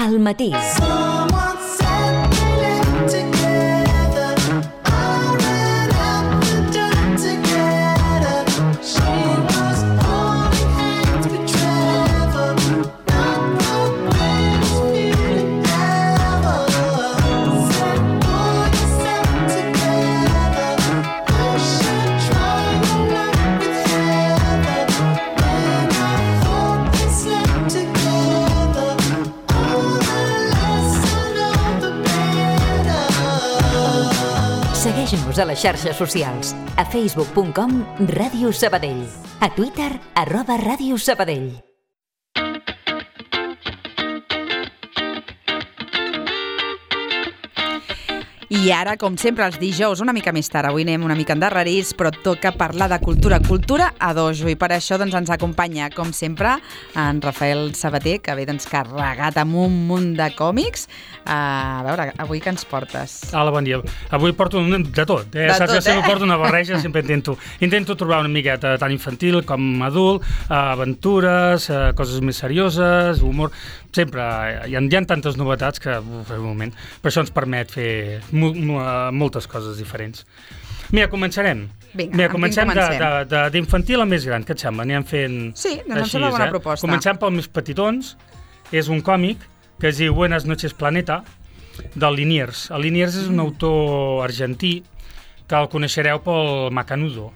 al matí. Segueix-nos a les xarxes socials. A facebook.com Ràdio Sabadell. A Twitter @Ràdio Sabadell. I ara, com sempre, els dijous, una mica més tard. Avui anem una mica endarrerits, però toca parlar de cultura. Cultura a dojo. I per això ens acompanya, com sempre, en Rafael Sabater, que ve carregat amb un munt de còmics. A veure, avui què ens portes? Hola, bon dia. Avui porto de tot. Saps que sempre porto una barreja, sempre intento trobar una miqueta tant infantil com adult, aventures, coses més serioses, humor. Sempre hi ha tantes novetats que, per un moment, per això ens permet fer moltes coses diferents. Mira, començarem. Vinga, comencem d'infantil a més gran, què et sembla? Anem fent... Sí, em sembla una bona proposta. Comencem pels més petitons. És un còmic que es diu Buenas noches Planeta, del Liniers. El Liniers és un autor argentí que el coneixereu pel Macanudo.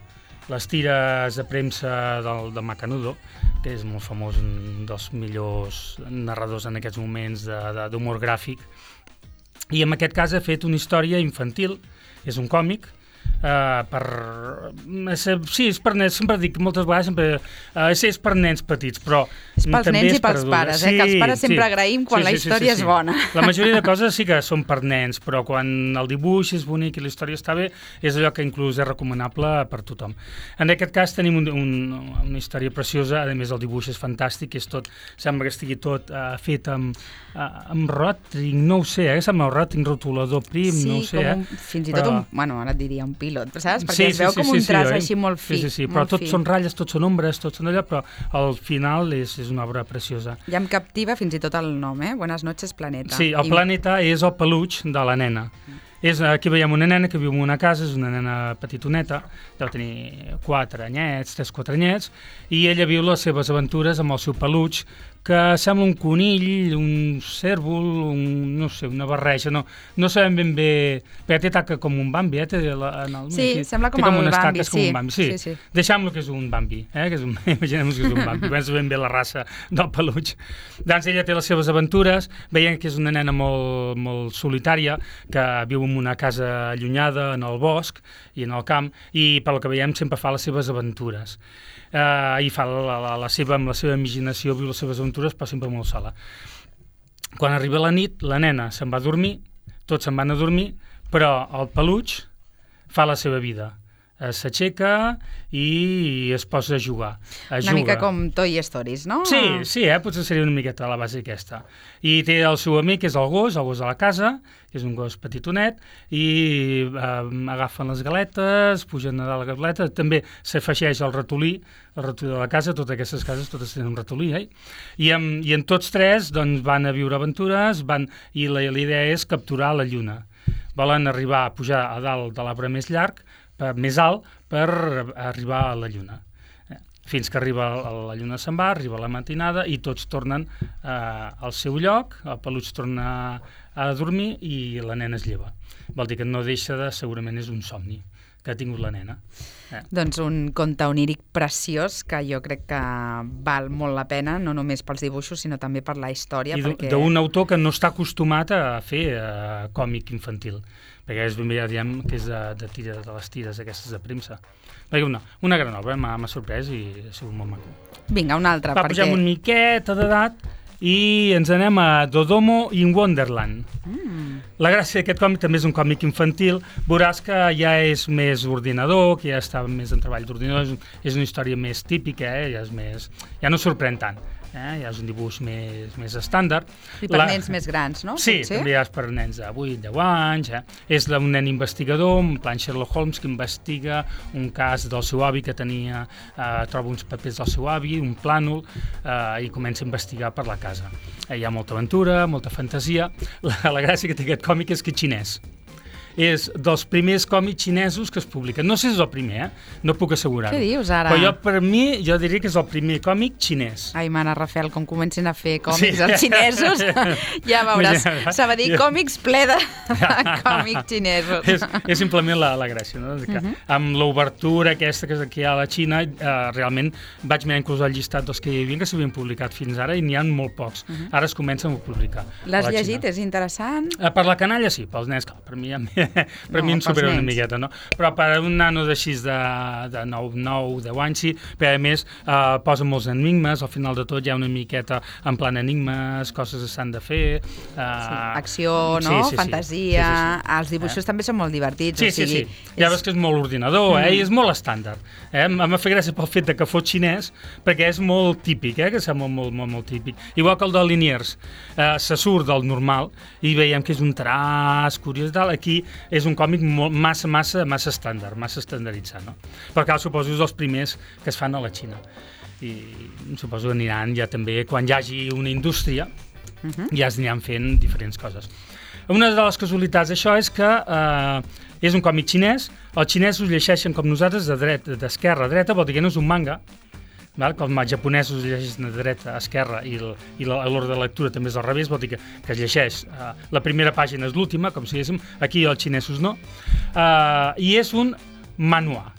Les tires de premsa de Macanudo, que és molt famós, un dels millors narradors en aquests moments d'humor gràfic. I en aquest cas ha fet una història infantil, és un còmic, sí, és per nens, sempre dic moltes vegades, és per nens petits, però és pels nens i pels pares, que els pares sempre agraïm quan la història és bona. La majoria de coses sí que són per nens, però quan el dibuix és bonic i la història està bé, és allò que inclús és recomanable per tothom. En aquest cas tenim una història preciosa, a més el dibuix és fantàstic, sembla que estigui tot fet amb ròting, no ho sé, sembla el ròting rotulador prim, no ho sé. Sí, fins i tot ara et diria un pilot, saps? Perquè es veu com un traç així molt fi. Sí, però tots són ratlles, tots són ombres, tots són allò, però al final és una obra preciosa. Ja em captiva fins i tot el nom, Buenas noches Planeta. Sí, el planeta és el peluix de la nena. Aquí veiem una nena que viu en una casa, és una nena petitoneta, deu tenir 4 anyets, 3-4 anyets, i ella viu les seves aventures amb el seu peluix, que sembla un conill, un cèrvol, no sé, una barreja, no sabem ben bé, perquè té taca com un Bambi, sí, sembla com el Bambi, sí. Deixem-lo que és un Bambi, imaginem-nos que és un Bambi, penso ben bé la raça del peluix. Doncs ella té les seves aventures, veiem que és una nena molt, molt solitària, que viu en una casa allunyada, en el bosc i en el camp, i pel que veiem sempre fa les seves aventures. I fa amb la seva imaginació, viu les seves aventures, però sempre molt sola. Quan arriba la nit, la nena se'n va a dormir, tots se'n van a dormir, però el peluix fa la seva vida. S'aixeca i es posa a jugar. Una mica com Toy Stories, no? Sí, potser seria una miqueta la base aquesta. I té el seu amic, que és el gos de la casa, que és un gos petitonet, i agafen les galetes, pugen a dalt la galeta, també s'afegeix el ratolí de la casa, totes aquestes cases totes tenen un ratolí, I en tots tres doncs, van a viure aventures, i la idea és capturar la lluna. Volen arribar a pujar a dalt de l'arbre més llarg, més alt, per arribar a la lluna. Fins que arriba la lluna se'n va, arriba la matinada i tots tornen al seu lloc, el peluix torna a dormir i la nena es lleva. Vol dir que no deixa segurament és un somni que ha tingut la nena. Doncs un conte oníric preciós que jo crec que val molt la pena, no només pels dibuixos, sinó també per la història. I d'un autor que no està acostumat a fer còmic infantil, perquè és ben bé, ja diem, que és de les tires aquestes de premsa. Una gran obra, m'ha sorprès i ha sigut molt maco. Vinga, una altra. Pugem una miqueta d'edat i ens anem a Dodomo in Wonderland. La gràcia d'aquest còmic també és un còmic infantil. Veuràs que ja és més ordinador, que ja està més en treball d'ordinador, és una història més típica, ja no sorprèn tant. Ja és un dibuix més estàndard. I per nens més grans, no? Sí, potser? també és per nens de 8-10 anys. És d'un nen investigador, en plan Sherlock Holmes, que investiga un cas del seu avi que tenia, troba uns papers del seu avi, un plànol, i comença a investigar per la casa. Hi ha molta aventura, molta fantasia. La gràcia que té aquest còmic és que és xinès. És dels primers còmics xinesos que es publiquen. No sé si és el primer, no puc assegurar-ho. Què dius, ara? Però per mi, jo diria que és el primer còmic xinès. Ai, mare, Rafael, com comencen a fer còmics els xinesos, ja veuràs. Sabadell Còmics ple de còmics xinesos. És simplement la gràcia, no? Que amb l'obertura aquesta que hi ha a la Xina, realment vaig mirar inclús el llistat dels que hi havia que s'havien publicat fins ara i n'hi ha molt pocs. Ara es comencen a publicar. L'has llegit? És interessant? Per la canalla sí, pels nens, clar, per mi em supera una miqueta, no? Però per un nano d'així de 9-10 anys sí, però a més posa molts enigmes, al final de tot hi ha una miqueta en plan enigmes, coses que s'han de fer... Acció, no? Fantasia... Els dibuixos també són molt divertits. Sí. Ja veus que és molt ordinador, i és molt estàndard. M'ha fet gràcia pel fet que fos xinès, perquè és molt típic, que sembla molt típic. Igual que el de Liniers, se surt del normal i veiem que és un traç curiós i tal. Aquí és un còmic massa estàndard, massa estandarditzat, no? Perquè suposo és dels primers que es fan a la Xina. I suposo que aniran ja també, quan hi hagi una indústria, ja es aniran fent diferents coses. Una de les casualitats d'això és que és un còmic xinès, els xinesos llegeixen com nosaltres d'esquerra a dreta, vol dir que no és un manga, que els japonesos llegeixen de dreta a esquerra i l'ordre de lectura també és al revés, vol dir que es llegeix la primera pàgina és l'última, com si diguéssim, aquí els xinesos no, i és un manhua.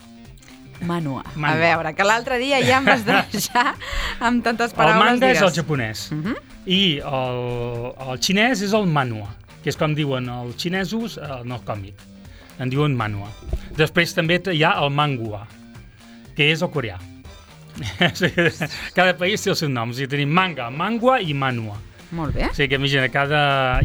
Manhua. A veure, que l'altre dia ja em vas deixar amb tantes paraules. El manga és el japonès i el xinès és el manhua, que és com diuen els xinesos en el còmic, en diuen manhua. Després també hi ha el manhua, que és el coreà. Cada país té els seus noms, i tenim manga, manhua i manhua. Molt bé. O sigui que imagina,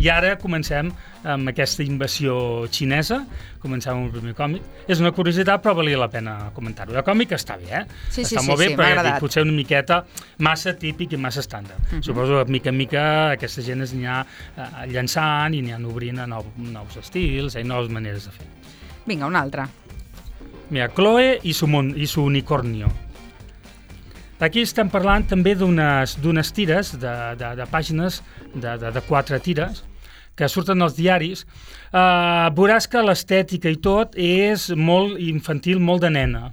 i ara comencem amb aquesta invasió xinesa, comencem amb el primer còmic. És una curiositat, però valia la pena comentar-ho. El còmic està bé, està molt bé, però potser una miqueta massa típic i massa estàndard. Suposo que mica en mica aquesta gent es anirà llançant i aniran obrint a nous estils i noves maneres de fer. Vinga, un altre. Mira, Chloe i su unicornio. Aquí estem parlant també d'unes tires, de pàgines, de 4 tires, que surten als diaris. Veuràs que l'estètica i tot és molt infantil, molt de nena.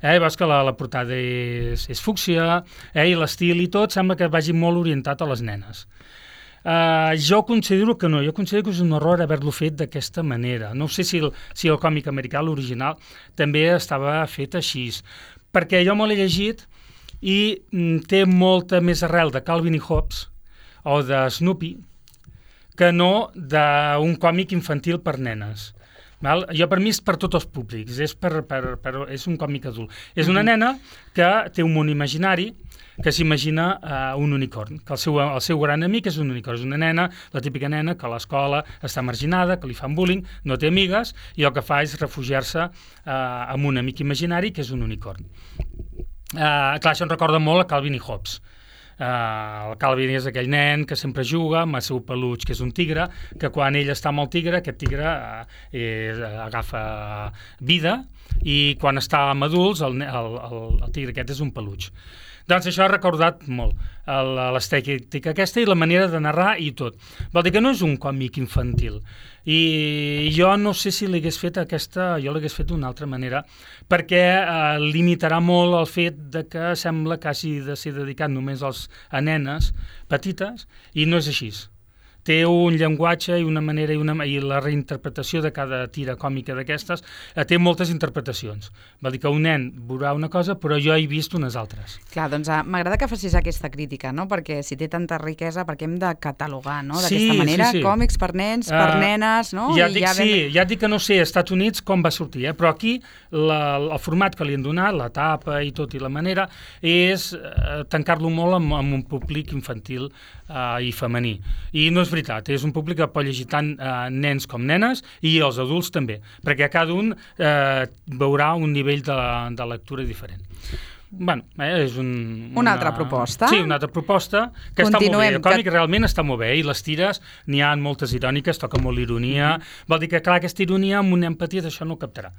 Veus que la portada és fúcsia, i l'estil i tot sembla que vagi molt orientat a les nenes. Jo considero que no, jo considero que és un error haver-lo fet d'aquesta manera. No sé si el còmic americà, l'original, també estava fet així, perquè jo me l'he llegit i té molta més arrel de Calvin i Hobbes o de Snoopy que no d'un còmic infantil per nenes. Jo per mi és per tots els públics, és un còmic adult. És una nena que té un món imaginari, que s'imagina un unicorn, que el seu gran amic és un unicorn. És una nena, la típica nena, que a l'escola està marginada, que li fan bullying, no té amigues, i el que fa és refugiar-se amb un amic imaginari que és un unicorn. Clar, això em recorda molt a Calvin i Hobbes. El Calvin és aquell nen que sempre juga amb el seu peluig, que és un tigre, que quan ell està amb el tigre, aquest tigre agafa vida, i quan està amb adults, el tigre aquest és un peluig. Doncs això ha recordat molt l'estètica aquesta i la manera de narrar i tot. Vol dir que no és un còmic infantil. I jo no sé si l'hagués fet jo l'hagués fet d'una altra manera, perquè limitarà molt el fet de que sembla que hagi de ser dedicat només a nenes petites, i no és així. Té un llenguatge i una manera i la reinterpretació de cada tira còmica d'aquestes té moltes interpretacions. Vol dir que un nen veurà una cosa, però jo he vist unes altres. Clar, doncs m'agrada que facis aquesta crítica, no? Perquè si té tanta riquesa, perquè hem de catalogar, no? D'aquesta manera, còmics per nens, per nenes, no? Ja et dic que no sé als Estats Units com va sortir, però aquí el format que li han donat, la tapa i tot, i la manera, és tancar-lo molt amb un públic infantil i femení. I no és veritat, és un públic que pot llegir tant nens com nenes i els adults també, perquè cada un veurà un nivell de lectura diferent. és una altra proposta. Sí, una altra proposta que està molt bé. El còmic realment està molt bé i les tires n'hi ha moltes iròniques, toca molt l'ironia. Vol dir que, clar, aquesta ironia amb una empatia d'això no ho captarà.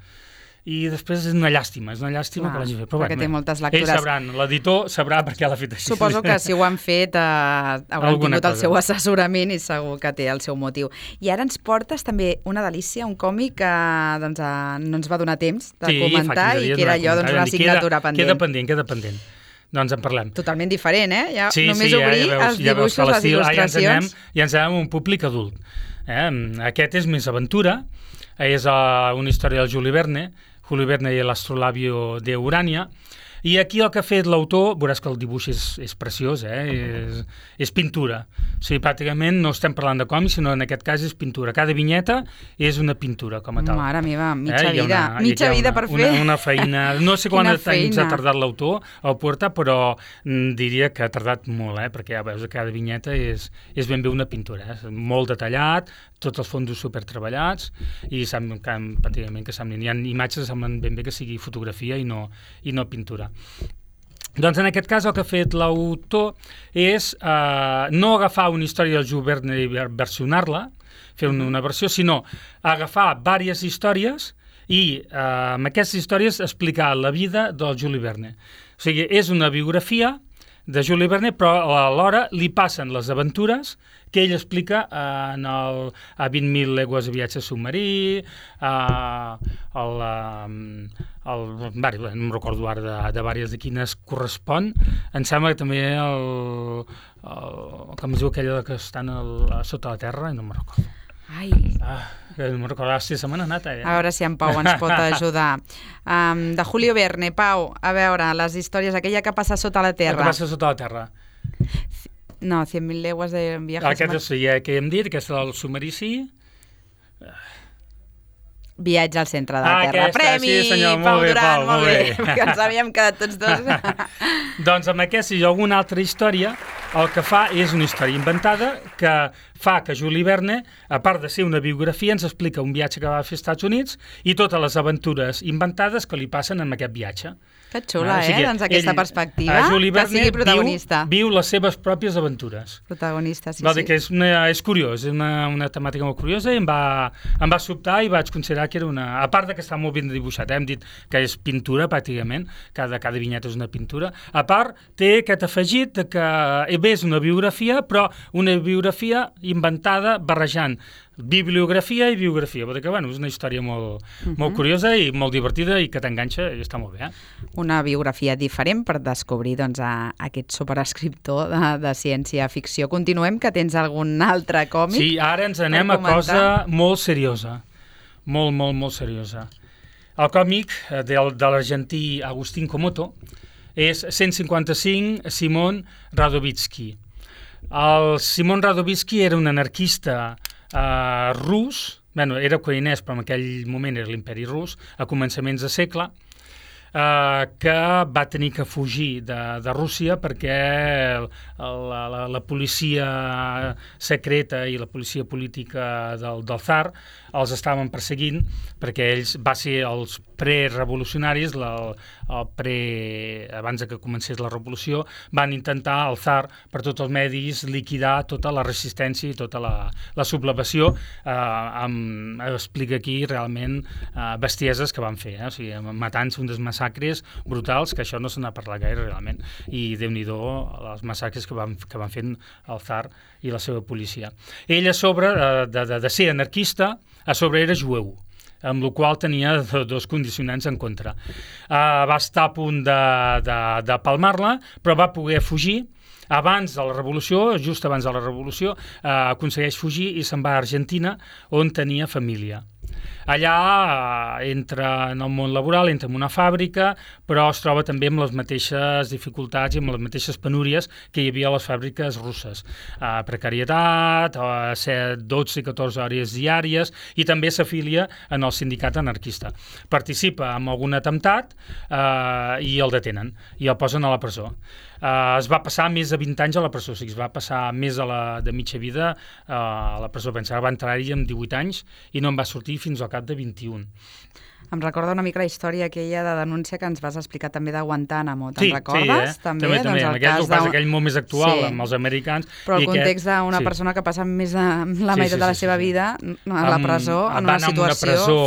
I després és una llàstima que l'hagi fet. Però perquè té moltes lectures. Ells sabran, l'editor sabrà per què l'ha fet així. Suposo que si ho han fet hauran tingut el seu assessorament i segur que té el seu motiu. I ara ens portes també una delícia, un còmic que no ens va donar temps de comentar i que era allò una assignatura pendent. Queda pendent. Doncs en parlem. Totalment diferent, ja només obrir els dibuixos, les il·lustracions. Ja ens anem un públic adult. Aquest és més aventura, és una història del Juli Verne i l'astrolabio de Urania, i aquí el que ha fet l'autor, veuràs que el dibuix és preciós, és pintura. O sigui, pràcticament no estem parlant de còmics, sinó en aquest cas és pintura. Cada vinyeta és una pintura, com a tal. Mare meva, mitja vida per fer. Una feina. No sé quant temps ha tardat l'autor a portar, però diria que ha tardat molt, perquè ja veus que cada vinyeta és ben bé una pintura. Molt detallat, tots els fondos supertreballats, i pràcticament que semblen. Hi ha imatges que semblen ben bé que sigui fotografia i no pintura. Doncs en aquest cas el que ha fet l'autor és no agafar una història del Jules Verne i versionar-la, fer una versió, sinó agafar diverses històries i amb aquestes històries explicar la vida del Jules Verne. O sigui, és una biografia de Jules Verne, però alhora li passen les aventures que ell explica a 20.000 legües de viatge submarí, no em recordo ara de diverses de quines correspon. Em sembla que també com es diu aquella que estan sota la terra, no me'n recordo. No me'n recordo, se me n'ha anat. A veure si en Pau ens pot ajudar. De Julio Verne, Pau, a veure, les històries, aquella que passa sota la terra. La que passa sota la terra. No, 100.000 legues de viatge. Aquest sí, que hem dit, que és el submarici. Viatge al centre de la Terra. Premi! Sí, senyor, Pau Duran, molt bé. Que ens havíem quedat tots dos. Doncs amb aquesta i alguna altra història, el que fa és una història inventada que fa que Jules Verne, a part de ser una biografia, ens explica un viatge que va fer als Estats Units i totes les aventures inventades que li passen en aquest viatge. Que xula, doncs aquesta perspectiva, que sigui protagonista. Viu les seves pròpies aventures. Protagonista, sí. Vol dir que és curiós, és una temàtica molt curiosa i em va sobtar i vaig considerar que era una... A part que està molt ben dibuixat, hem dit que és pintura pràcticament, cada vinyeta és una pintura. A part, té aquest afegit que és una biografia, però una biografia inventada barrejant bibliografia i biografia. Vol dir que és una història molt curiosa i molt divertida i que t'enganxa i està molt bé. Una biografia diferent per descobrir aquest superescriptor de ciència-ficció. Continuem, que tens algun altre còmic? Sí, ara ens anem a cosa molt seriosa. Molt seriosa. El còmic de l'argentí Agustín Comoto és 155 Simon Radovítsky. El Simon Radovítsky era un anarquista rus, era ucraïnès, però en aquell moment era l'imperi rus, a començaments de segle, que va tenir que fugir de Rússia perquè la policia secreta i la policia política del tsar els estaven perseguint, perquè ells va ser els prerevolucionaris, abans que comencés la revolució, van intentar el tsar per tots els medis liquidar tota la resistència i tota la sublevació, explica aquí realment bestieses que van fer, o sigui, matant-se uns massacres brutals, que això no se n'ha parlat gaire realment, i Déu-n'hi-do els massacres que van fer el tsar i la seva policia. Ell, a sobre de ser anarquista, a sobre era jueu, amb la qual tenia dos condicionants en contra. Va estar a punt de palmar-la, però va poder fugir. Abans de la revolució, just abans de la revolució, aconsegueix fugir i se'n va a Argentina, on tenia família. Allà entra en el món laboral, entra en una fàbrica, però es troba també amb les mateixes dificultats i amb les mateixes penúries que hi havia a les fàbriques russes. Precarietat, 12 i 14 hores diàries, i també s'afilia en el sindicat anarquista. Participa en algun atemptat i el detenen, i el posen a la presó. es va passar més de 20 anys a la presó, o sigui, es va passar més de mitja vida a la presó. Pensava que va entrar-hi amb 18 anys i no en va sortir fins al cap de 21. Em recorda una mica la història aquella de denúncia que ens vas explicar també de Guantánamo, te'n recordes? També. Doncs el cas aquell molt més actual, amb els americans. Però el context d'una persona que passa més de la meitat de la seva vida a la presó, en una situació...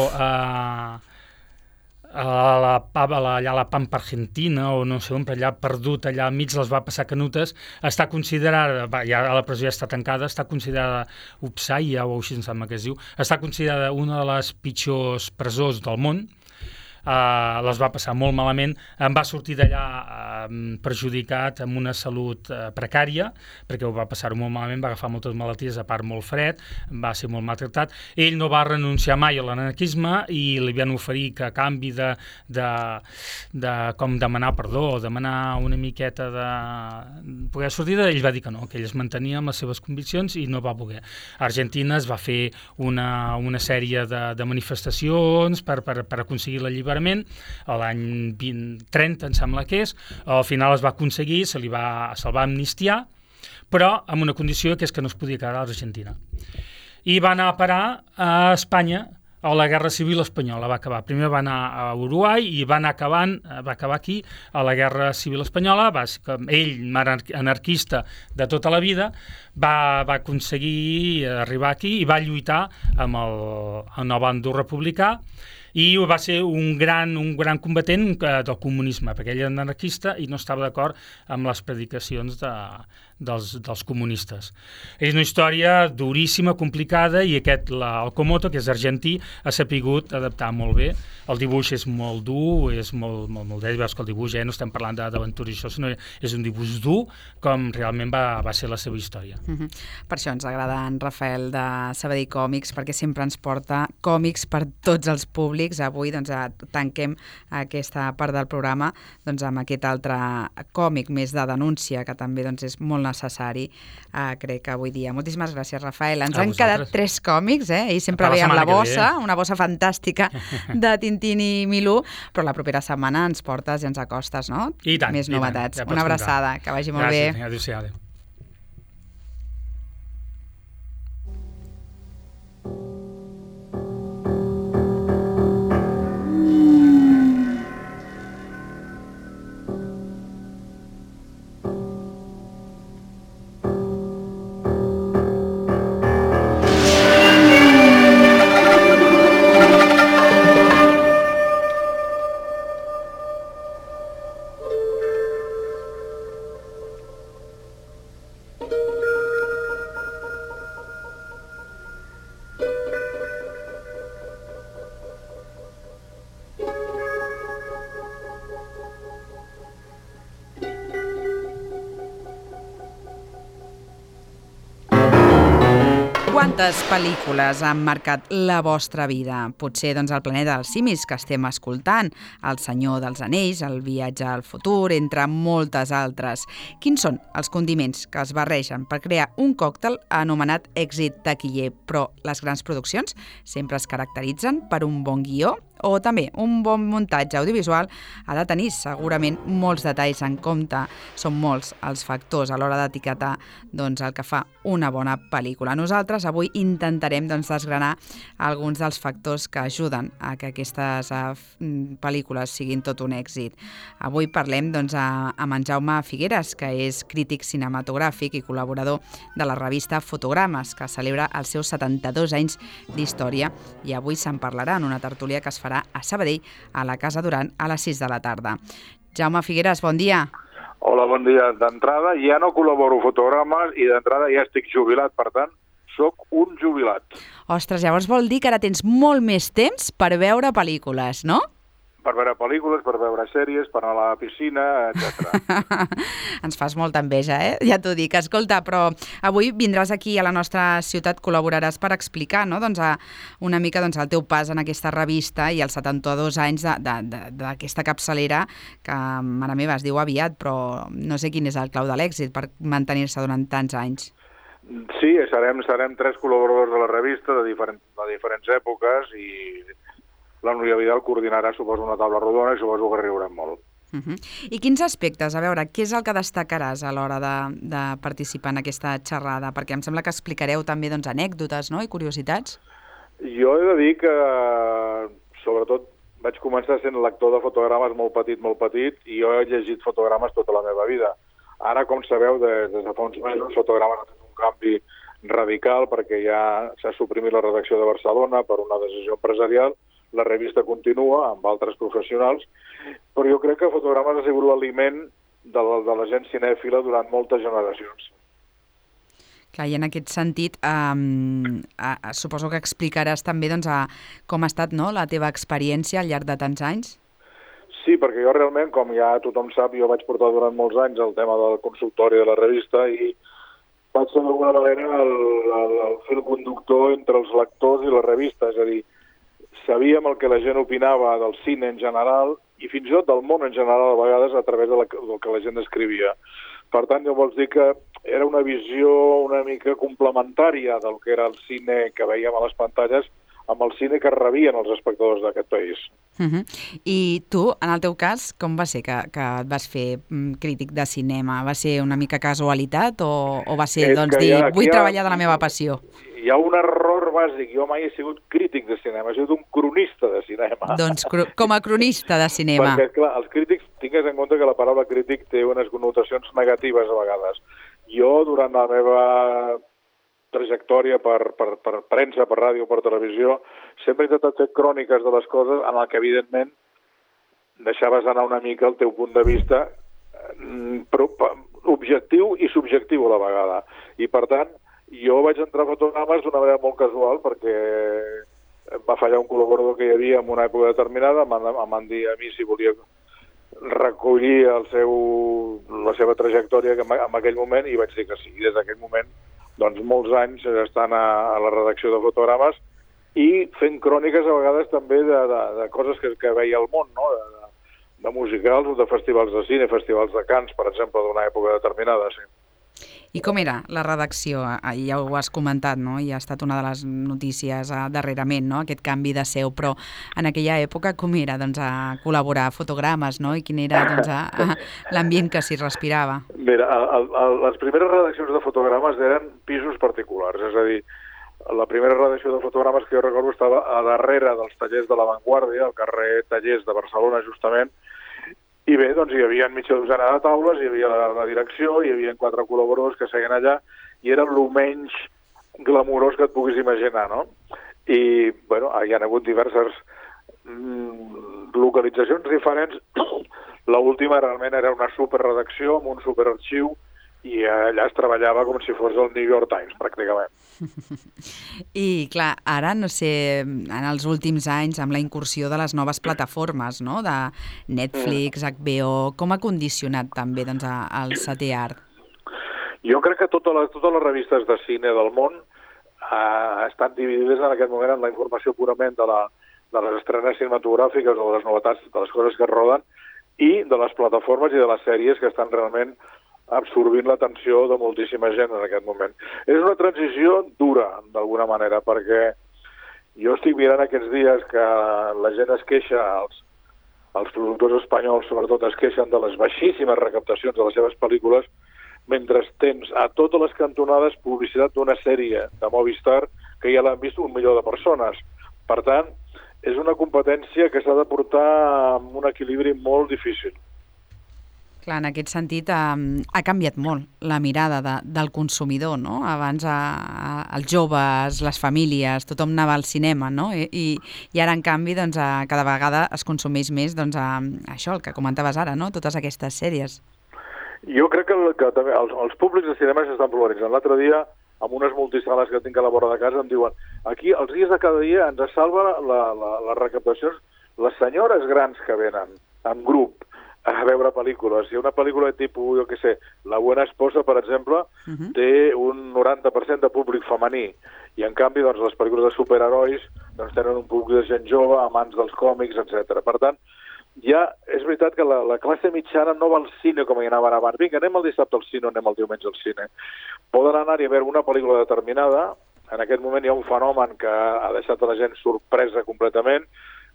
allà a la Pampa Argentina o no sé on, allà perdut, allà mig les va passar canutes, està considerada, ja a la presó ja està tancada, està considerada Upsaya, o així em sembla que es diu, està considerada una de les pitjors presons del món. Les va passar molt malament, em va sortir d'allà perjudicat, amb una salut precària, perquè ho va passar molt malament, va agafar moltes malalties, a part molt fred, va ser molt maltractat. Ell no va renunciar mai a l'anarquisme i li van oferir que a canvi de com demanar perdó, demanar una miqueta de poder sortir, ell va dir que no, que ell es mantenia amb les seves conviccions i no va voler. A Argentina es va fer una sèrie de manifestacions per aconseguir l'alliberament a l'any 30, em sembla que és. Al final es va aconseguir, se'l va amnistiar, però amb una condició que és que no es podia quedar a l'Argentina. I va anar a parar a Espanya a la Guerra Civil Espanyola. Va acabar. Primer va anar a Uruguai i va acabar aquí a la Guerra Civil Espanyola. Ell, anarquista de tota la vida, va aconseguir arribar aquí i va lluitar amb el bàndol republicà i va ser un gran combatent del comunisme, perquè ell era anarquista i no estava d'acord amb les predicacions dels comunistes. És una història duríssima, complicada, i el Komoto, que és argentí, ha sapigut adaptar molt bé. El dibuix és molt dur, és molt dret, veus que el dibuix, no estem parlant d'aventures i això, sinó és un dibuix dur, com realment va ser la seva història. Per això ens agrada en Rafael de Sabadell Còmics, perquè sempre ens porta còmics per tots els públics. Avui tanquem aquesta part del programa amb aquest altre còmic més de denúncia, que també és molt necessari, crec que avui dia. Moltíssimes gràcies, Rafael. Ens han quedat 3 còmics, ell sempre ve amb la bossa, una bossa fantàstica de Tintín i Milú, però la propera setmana ens portes i ens acostes, no? I tant. Més novetats. Una abraçada, que vagi molt bé. Gràcies, adéu-siau. Quantes pel·lícules han marcat la vostra vida? Potser El planeta dels simis, que estem escoltant, El senyor dels anells, El viatge al futur, entre moltes altres. Quins són els condiments que es barregen per crear un còctel anomenat èxit taquiller? Però les grans produccions sempre es caracteritzen per un bon guió, o també un bon muntatge audiovisual ha de tenir segurament molts detalls en compte. Són molts els factors a l'hora d'etiquetar el que fa una bona pel·lícula. Nosaltres avui intentarem desgranar alguns dels factors que ajuden a que aquestes pel·lícules siguin tot un èxit. Avui parlem amb en Jaume Figueras, que és crític cinematogràfic i col·laborador de la revista Fotogrames, que celebra els seus 72 anys d'història, i avui se'n parlarà en una tertúlia que es farà a Sabadell, a la Casa Duran, a les 6 de la tarda. Jaume Figueras, bon dia. Hola, bon dia. D'entrada ja no col·laboro Fotogrames i d'entrada ja estic jubilat, per tant, sóc un jubilat. Ostres, llavors vol dir que ara tens molt més temps per veure pel·lícules, no? Per veure pel·lícules, per veure sèries, per anar a la piscina, etc. Ens fas molta enveja, ja t'ho dic. Escolta, però avui vindràs aquí a la nostra ciutat, col·laboraràs per explicar una mica el teu pas en aquesta revista i els 72 anys d'aquesta capçalera que, mare meva, es diu aviat, però no sé quin és el clau de l'èxit per mantenir-se durant tants anys. Sí, serem 3 col·laboradors de la revista de diferents èpoques i la Núria Vidal coordinarà, suposo, una taula rodona i suposo que riurem molt. I quins aspectes? A veure, què és el que destacaràs a l'hora de participar en aquesta xerrada? Perquè em sembla que explicareu també anècdotes, no?, i curiositats. Jo he de dir que, sobretot, vaig començar sent lector de fotogrames molt petit, i jo he llegit fotogrames tota la meva vida. Ara, com sabeu, des de fa uns mesos, fotogrames ha fet un canvi radical perquè ja s'ha suprimit la redacció de Barcelona per una decisió empresarial. La revista continua amb altres professionals, però jo crec que fotogrames ha sigut l'aliment de la gent cinèfila durant moltes generacions. Clar, i en aquest sentit, suposo que explicaràs també com ha estat, no?, la teva experiència al llarg de tants anys. Sí, perquè jo realment, com ja tothom sap, jo vaig portar durant molts anys el tema del consultori de la revista i vaig ser d'alguna manera el fil conductor entre els lectors i la revista, és a dir, sabíem el que la gent opinava del cine en general i fins i tot del món en general a vegades a través del que la gent escrivia. Per tant, jo vols dir que era una visió una mica complementària del que era el cine que veiem a les pantalles amb el cine que rebien els espectadors d'aquest país. I tu, en el teu cas, com va ser que et vas fer crític de cinema? Va ser una mica casualitat o va ser, vull treballar de la meva passió? Hi ha un error bàsic. Jo mai he sigut crític de cinema, he sigut un cronista de cinema. Doncs com a cronista de cinema. Perquè, clar, els crítics, tingues en compte que la paraula crític té unes connotacions negatives a vegades. Jo, durant la meva trajectòria per premsa, per ràdio, per televisió, sempre he intentat fer cròniques de les coses en el que, evidentment, deixaves anar una mica el teu punt de vista objectiu i subjectiu a la vegada. I, per tant, jo vaig entrar a fotogrames d'una manera molt casual perquè em va fallar un col·laborador que hi havia en una època determinada, em van dir a mi si volia recollir la seva trajectòria en aquell moment i vaig dir que sí. I des d'aquell moment, doncs molts anys estant a la redacció de fotogrames i fent cròniques a vegades també de coses que veia al món, no? De musicals o de festivals de cine, festivals de Cants, per exemple, d'una època determinada, sí. I com era la redacció? Ja ho has comentat, no? I ha estat una de les notícies darrerament, no?, aquest canvi de seu, però en aquella època com era a col·laborar a fotogrames, no?, i quin era l'ambient que s'hi respirava? Mira, les primeres redaccions de fotogrames eren pisos particulars, és a dir, la primera redacció de fotogrames que jo recordo estava a darrere dels tallers de La Vanguardia, al carrer Tallers de Barcelona, justament. I bé, doncs hi havia mitja dotzena de taules, hi havia la direcció, hi havia 4 col·laboradors que seguien allà i era el menys glamurós que et puguis imaginar, no? I, bueno, hi ha hagut diverses localitzacions diferents. L'última realment era una superredacció amb un superarxiu i allà es treballava com si fos el New York Times, pràcticament. I, clar, ara, no sé, en els últims anys, amb la incursió de les noves plataformes, no?, de Netflix, HBO, com ha condicionat també el setè art? Jo crec que totes les revistes de cine del món estan dividides en aquest moment en la informació purament de les estrenes cinematogràfiques o de les novetats, de les coses que es roden, i de les plataformes i de les sèries que estan realment absorbint l'atenció de moltíssima gent en aquest moment. És una transició dura, d'alguna manera, perquè jo estic mirant aquests dies que la gent es queixa, els productors espanyols sobretot es queixen de les baixíssimes recaptacions de les seves pel·lícules, mentre tens a totes les cantonades publicitat d'una sèrie de Movistar que ja l'han vist 1 milió de persones. Per tant, és una competència que s'ha de portar amb un equilibri molt difícil. Clar, en aquest sentit ha canviat molt la mirada del consumidor, no? Abans els joves, les famílies, tothom anava al cinema, no? I ara, en canvi, cada vegada es consumeix més això, el que comentaves ara, no?, totes aquestes sèries. Jo crec que també els públics de cinema s'estan polaritzant. L'altre dia, amb unes multisales que tinc a la vora de casa, em diuen aquí, els dies de cada dia, ens salva les recaptacions les senyores grans que venen en grup a veure pel·lícules. Si una pel·lícula de tipus, jo què sé, La Buena Esposa, per exemple, té un 90% de públic femení. I, en canvi, doncs, les pel·lícules de superherois tenen un públic de gent jove, amants dels còmics, etc. Per tant, ja és veritat que la classe mitjana no va al cine com hi anaven abans. Vinga, anem el dissabte al cine o anem el diumenge al cine. Poden anar-hi a veure una pel·lícula determinada. En aquest moment hi ha un fenomen que ha deixat a la gent sorpresa completament,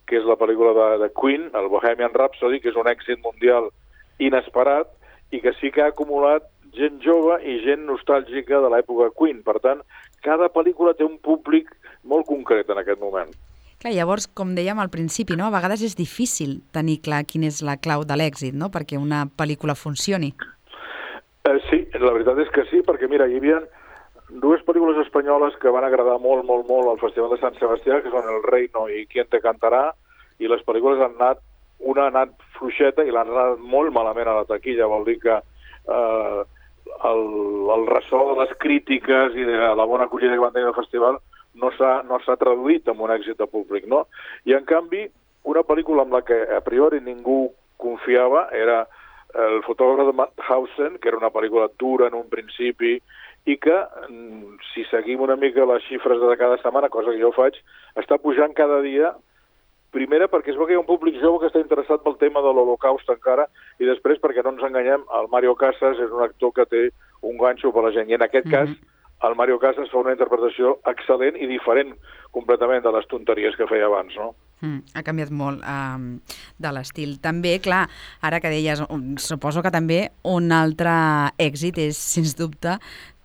que és la pel·lícula de Queen, el Bohemian Rhapsody, que és un èxit mundial inesperat i que sí que ha acumulat gent jove i gent nostàlgica de l'època Queen. Per tant, cada pel·lícula té un públic molt concret en aquest moment. Clar, llavors, com dèiem al principi, no? A vegades és difícil tenir clar quina és la clau de l'èxit, no? Perquè una pel·lícula funcioni. Sí, la veritat és que sí, perquè mira, hi havia dues pel·lícules espanyoles que van agradar molt al Festival de Sant Sebastià, que són El Reino i Quién te cantará, i les pel·lícules han anat, una ha anat fluixeta i l'han anat molt malament a la taquilla, vol dir que el ressò de les crítiques i de la bona acollida que van tenir al festival no s'ha traduït en un èxit de públic, no? I en canvi, una pel·lícula amb la que a priori ningú confiava era El fotògraf de Mauthausen, que era una pel·lícula dura en un principi i que, si seguim una mica les xifres de cada setmana, cosa que jo faig, està pujant cada dia, primera perquè es veu que hi ha un públic jove que està interessat pel tema de l'Holocaust encara, i després perquè no ens enganyem, el Mario Casas és un actor que té un ganxo per la gent, i en aquest cas el Mario Casas fa una interpretació excel·lent i diferent completament de les tonteries que feia abans, no? Ha canviat molt de l'estil. També, clar, ara que deies, suposo que també un altre èxit és, sens dubte,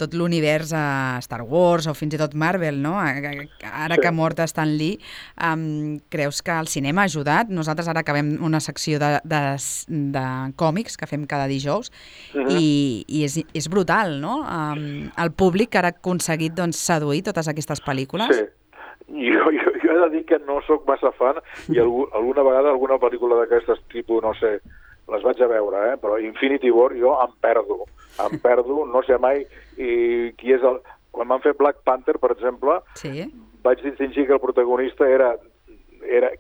tot l'univers Star Wars o fins i tot Marvel, no? Ara que ha mort Stan Lee, creus que el cinema ha ajudat? Nosaltres ara acabem una secció de còmics que fem cada dijous i és brutal, no? El públic que ara ha aconseguit seduir totes aquestes pel·lícules. Sí. Jo he de dir que no sóc massa fan i alguna vegada alguna pel·lícula d'aquestes tipus, no sé, les vaig a veure, però Infinity War jo em perdo, no sé mai qui és el... Quan van fer Black Panther, per exemple, vaig distingir que el protagonista era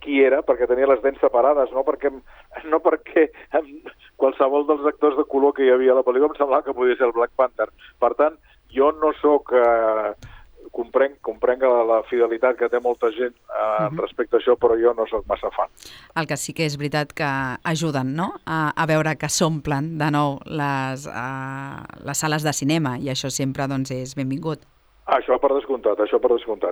qui era, perquè tenia les dents separades, no perquè qualsevol dels actors de color que hi havia a la pel·lícula em semblava que podia ser el Black Panther. Per tant, jo no sóc... Comprenc la fidelitat que té molta gent respecte a això, però jo no sóc massa fan. El que sí que és veritat que ajuden, no?, a veure que s'omplen de nou les sales de cinema, i això sempre és benvingut. Això per descomptat,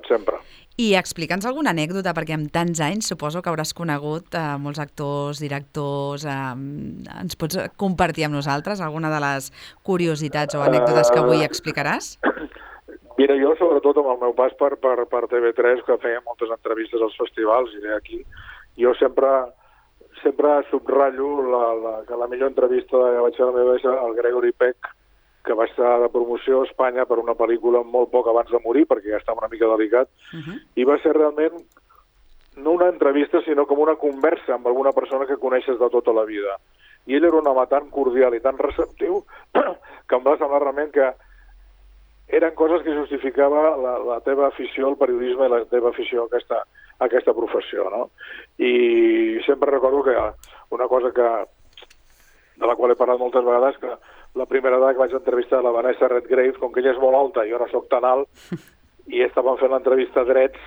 sempre. I explica'ns alguna anècdota, perquè amb tants anys suposo que hauràs conegut molts actors, directors... Ens pots compartir amb nosaltres alguna de les curiositats o anècdotes que avui explicaràs? Mira, jo sobretot amb el meu pas per TV3, que feia moltes entrevistes als festivals i aquí, jo sempre subratllo que la millor entrevista que vaig fer a la meva és el Gregory Peck, que va estar de promoció a Espanya per una pel·lícula molt poc abans de morir, perquè ja estava una mica delicat, i va ser realment no una entrevista, sinó com una conversa amb alguna persona que coneixes de tota la vida. I ell era un home tan cordial i tan receptiu que em va semblar realment que eren coses que justificava la teva afició al periodisme i la teva afició a aquesta professió, no? I sempre recordo que una cosa de la qual he parlat moltes vegades, que la primera vegada que vaig entrevistar la Vanessa Redgrave, com que ella és molt alta i jo no soc tan alt, i estàvem fent l'entrevista drets,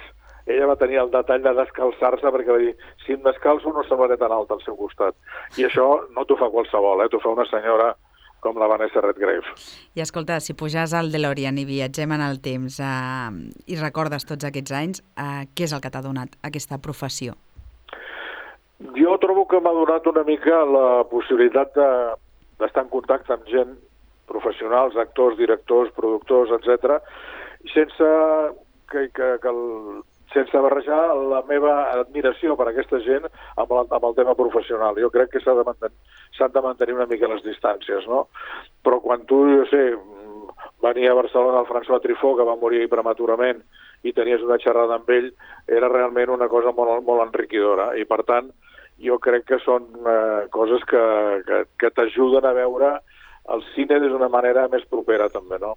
ella va tenir el detall de descalçar-se perquè va dir, si em descalço no semblaré tan alt al seu costat. I això no t'ho fa qualsevol, t'ho fa una senyora com la Vanessa Redgrave. I escolta, si pujas al DeLorean i viatgem en el temps i recordes tots aquests anys, què és el que t'ha donat aquesta professió? Jo trobo que m'ha donat una mica la possibilitat d'estar en contacte amb gent, professionals, actors, directors, productors, etc., sense barrejar la meva admiració per aquesta gent amb el tema professional. Jo crec que s'han de mantenir una mica les distàncies, no? Però quan tu, jo sé, venia a Barcelona el François Truffaut, que va morir prematurament, i tenies una xerrada amb ell, era realment una cosa molt, molt enriquidora. I, per tant, jo crec que són coses que t'ajuden a veure el cine d'una manera més propera, també, no?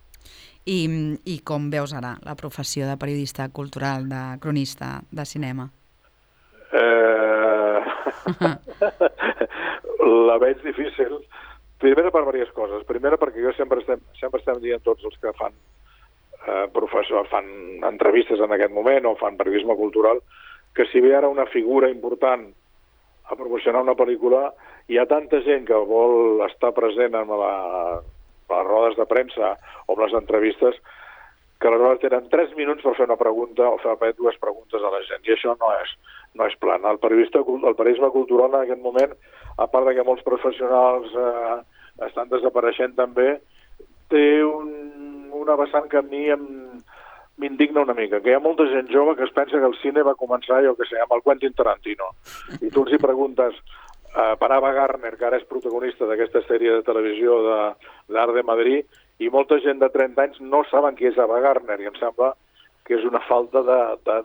I com veus ara la professió de periodista cultural, de cronista de cinema? La veig difícil. Primera per diverses coses. Primera perquè jo sempre estem dient tots els que fan fan entrevistes en aquest moment o fan periodisme cultural, que si ve ara una figura important a promocionar una pel·lícula, hi ha tanta gent que vol estar present en les rodes de premsa o en les entrevistes que aleshores tenen 3 minuts per fer una pregunta o fer 2 preguntes a la gent, i això no és plan. El periodisme cultural en aquest moment, a part de que molts professionals estan desapareixent també, té una vessant que a mi m'indigna una mica, que hi ha molta gent jove que es pensa que el cine va començar, jo que sé, amb el Quentin Tarantino. I tu els hi preguntes per Ava Gardner, que ara és protagonista d'aquesta sèrie de televisió d'Art de Madrid, i molta gent de 30 anys no saben qui és Ava Gardner, i em sembla que és una falta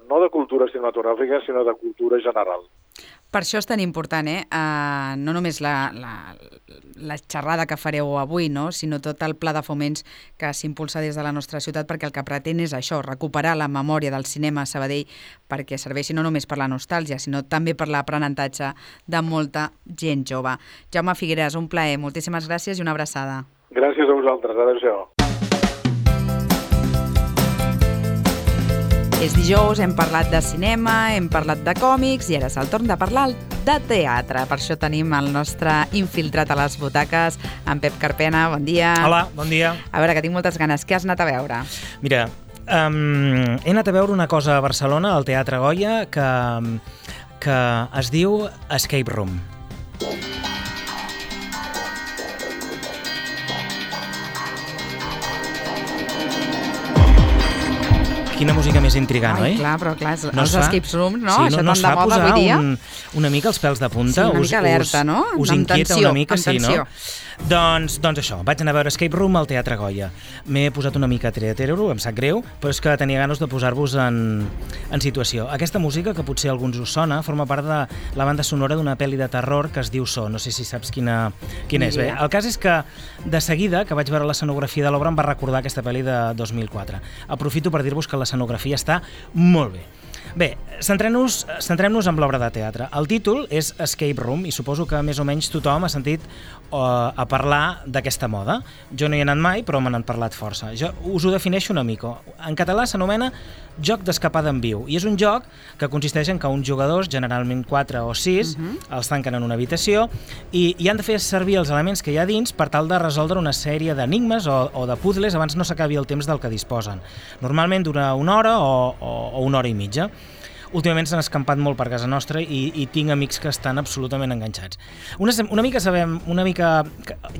no de cultura cinematogràfica, sinó de cultura general. Per això és tan important, no només la xerrada que fareu avui, no? Sinó tot el pla de foments que s'impulsa des de la nostra ciutat, perquè el que pretén és això, recuperar la memòria del cinema a Sabadell perquè serveixi no només per la nostàlgia, sinó també per l'aprenentatge de molta gent jove. Jaume Figueras, un plaer, moltíssimes gràcies i una abraçada. Gràcies a vosaltres, adéu-siau. És dijous, hem parlat de cinema, hem parlat de còmics i ara és el torn de parlar de teatre. Per això tenim el nostre infiltrat a les butaques, en Pep Carpena. Bon dia. Hola, bon dia. A veure, que tinc moltes ganes. Què has anat a veure? Mira, he anat a veure una cosa a Barcelona, al Teatre Goya, que es diu Escape Room. Quina música més intrigant, oi? Clar, però clar, els escape rooms, no? Sí, això no tant de moda avui dia. Una mica els pèls de punta. Sí, una mica alerta, no? Us inquieta una mica, sí, no? Doncs això, vaig anar a veure Escape Room al Teatre Goya. M'he posat una mica tretero, em sap greu, però és que tenia ganes de posar-vos en situació. Aquesta música, que potser a alguns us sona, forma part de la banda sonora d'una pel·li de terror que es diu So. No sé si saps quina és. Bé, el cas és que de seguida, que vaig veure l'escenografia de l'obra, em va recordar aquesta pel·li de 2004. Aprofito per dir-vos que l'escenografia està molt bé. Bé, centrem-nos en l'obra de teatre. El títol és Escape Room i suposo que més o menys tothom ha sentit a parlar d'aquesta moda. Jo no hi he anat mai, però me n'han parlat força. Jo us ho defineixo una mica. En català s'anomena joc d'escapada en viu i és un joc que consisteix en que uns jugadors, generalment 4 o 6, els tanquen en una habitació i han de fer servir els elements que hi ha dins per tal de resoldre una sèrie d'enigmes o de puzzles abans no s'acabi el temps del que disposen. Normalment dura una hora o una hora i mitja. Últimament s'han escampat molt per casa nostra i tinc amics que estan absolutament enganxats. Una mica,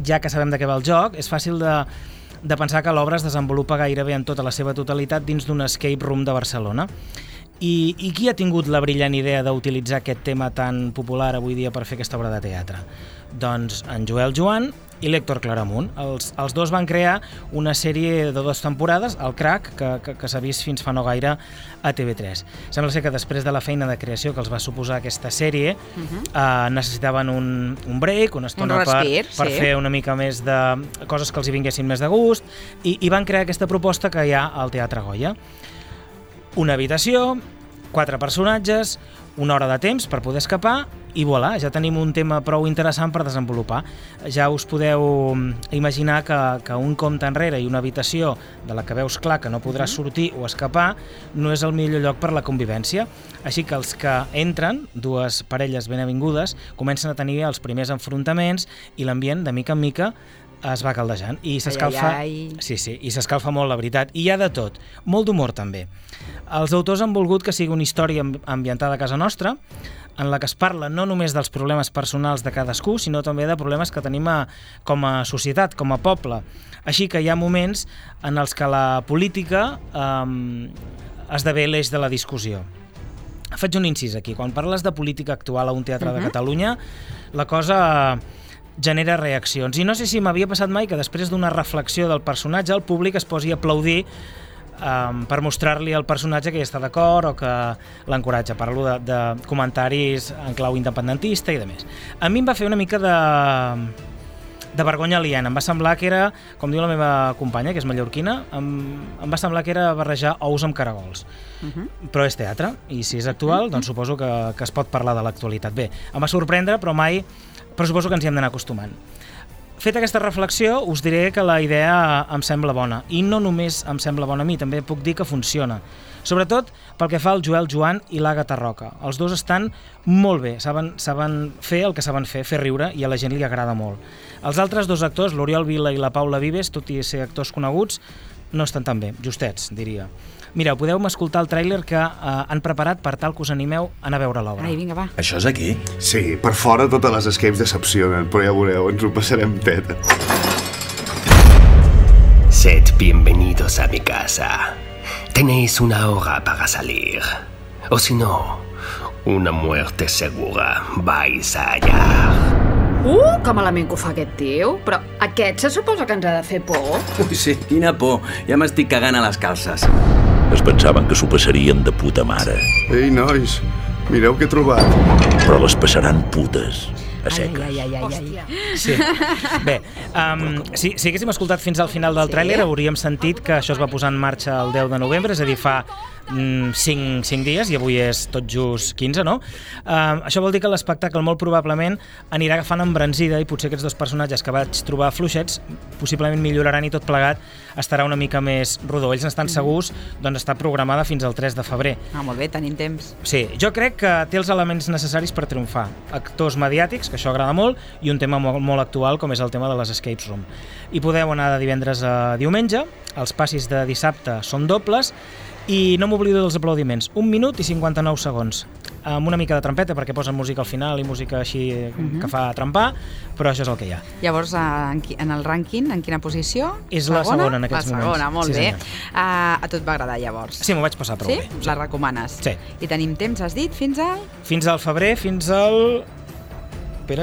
ja que sabem de què va el joc, és fàcil de pensar que l'obra es desenvolupa gairebé en tota la seva totalitat dins d'un escape room de Barcelona. I qui ha tingut la brillant idea d'utilitzar aquest tema tan popular avui dia per fer aquesta obra de teatre? Doncs en Joel Joan i l'Héctor Claramunt. Els dos van crear una sèrie de 2 temporades, el Crac, que s'ha vist fins fa no gaire a TV3. Sembla ser que després de la feina de creació que els va suposar aquesta sèrie, necessitaven un break, una estona per fer una mica més de coses que els hi vinguessin més de gust, i van crear aquesta proposta que hi ha al Teatre Goya. Una habitació, 4 personatges, una hora de temps per poder escapar i voilà, ja tenim un tema prou interessant per desenvolupar. Ja us podeu imaginar que un compte enrere i una habitació de la que veus clar que no podràs sortir o escapar no és el millor lloc per la convivència. Així que els que entren, 2 parelles ben avingudes, comencen a tenir els primers enfrontaments i l'ambient, de mica en mica, es va caldejant i s'escalfa. Sí, i s'escalfa molt, la veritat. I hi ha de tot, molt d'humor també. Els autors han volgut que sigui una història ambientada a casa nostra, en la que es parla no només dels problemes personals de cadascú, sinó també de problemes que tenim com a societat, com a poble. Així que hi ha moments en els que la política esdevé l'eix de la discussió. Faig un incís aquí. Quan parles de política actual a un teatre de Catalunya, la cosa genera reaccions. I no sé si m'havia passat mai que després d'una reflexió del personatge el públic es posi a aplaudir per mostrar-li al personatge que hi està d'acord o que l'encoratja. Parlo de comentaris en clau independentista i demés. A mi em va fer una mica de vergonya aliena. Em va semblar que era, com diu la meva companya, que és mallorquina, em va semblar que era barrejar ous amb caragols. Però és teatre, i si és actual, doncs suposo que es pot parlar de l'actualitat. Bé, em va sorprendre, però suposo que ens hi hem d'anar acostumant. Feta aquesta reflexió, us diré que la idea em sembla bona. I no només em sembla bona a mi, també puc dir que funciona. Sobretot pel que fa al Joel Joan i l'Àgata Roca. Els dos estan molt bé, saben fer el que saben fer riure, i a la gent li agrada molt. Els altres 2 actors, l'Oriol Vila i la Paula Vives, tot i ser actors coneguts, no estan tan bé, justets, diria. Mireu, podeu escoltar el tràiler que han preparat per tal que us animeu a anar a veure l'obra. Ai, vinga, va. Això és aquí? Sí, per fora totes les escapes decepcionen, però ja veureu, ens ho passarem teta. Sed bienvenidos a mi casa. Tenéis una hora para salir. O si no, una muerte segura vais a hallar. Que malament que ho fa aquest tio. Però aquest se suposa que ens ha de fer por. Ui, sí, quina por. Ja m'estic cagant a les calces. Es pensaven que s'ho passarien de puta mare. Ei, nois, mireu què he trobat. Però les passaran putes. A seques. Ai. Sí. Bé, si haguéssim escoltat fins al final del tràiler hauríem sentit que això es va posar en marxa el 10 de novembre, és a dir, fa 5 dies, i avui és tot just 15, no? Això vol dir que l'espectacle molt probablement anirà agafant embranzida i potser aquests dos personatges que vaig trobar fluixets possiblement milloraran i tot plegat estarà una mica més rodó. Ells n'estan segurs, doncs està programada fins al 3 de febrer. Molt bé, tenim temps. Sí, jo crec que té els elements necessaris per triomfar. Actors mediàtics, que això agrada molt, i un tema molt actual com és el tema de les escape room. I podeu anar de divendres a diumenge, els passis de dissabte són dobles, i no m'oblido dels aplaudiments, 1 minut i 59 segons, amb una mica de trampeta perquè posen música al final i música així que fa trempar, però això és el que hi ha. Llavors, en el rànquing, en quina posició? És la segona en aquests moments. La segona, molt sí, bé. A tu et va agradar llavors? Sí, m'ho vaig passar prou bé. Sí? La recomanes? Sí. I tenim temps, has dit, fins al? Fins al febrer, fins al 3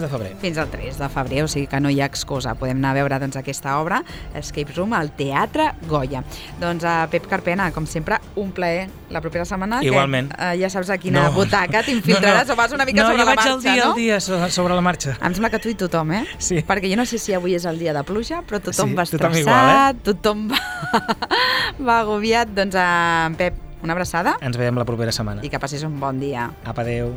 de febrer. Fins al 3 de febrer, o sigui que no hi ha excusa. Podem anar a veure doncs, aquesta obra, Escape Room, al Teatre Goya. Doncs Pep Carpena, com sempre, un plaer la propera setmana. Igualment. Que, ja saps a quina butaca t'infiltraràs o vas una mica sobre la marxa, no? No, jo vaig al dia sobre la marxa. Em sembla que tu i tothom, eh? Sí. Perquè jo no sé si avui és el dia de pluja, però tothom va tothom estressat, igual, tothom va agobiat. Doncs Pep, una abraçada. Ens veiem la propera setmana. I que passis un bon dia. Apa, adéu.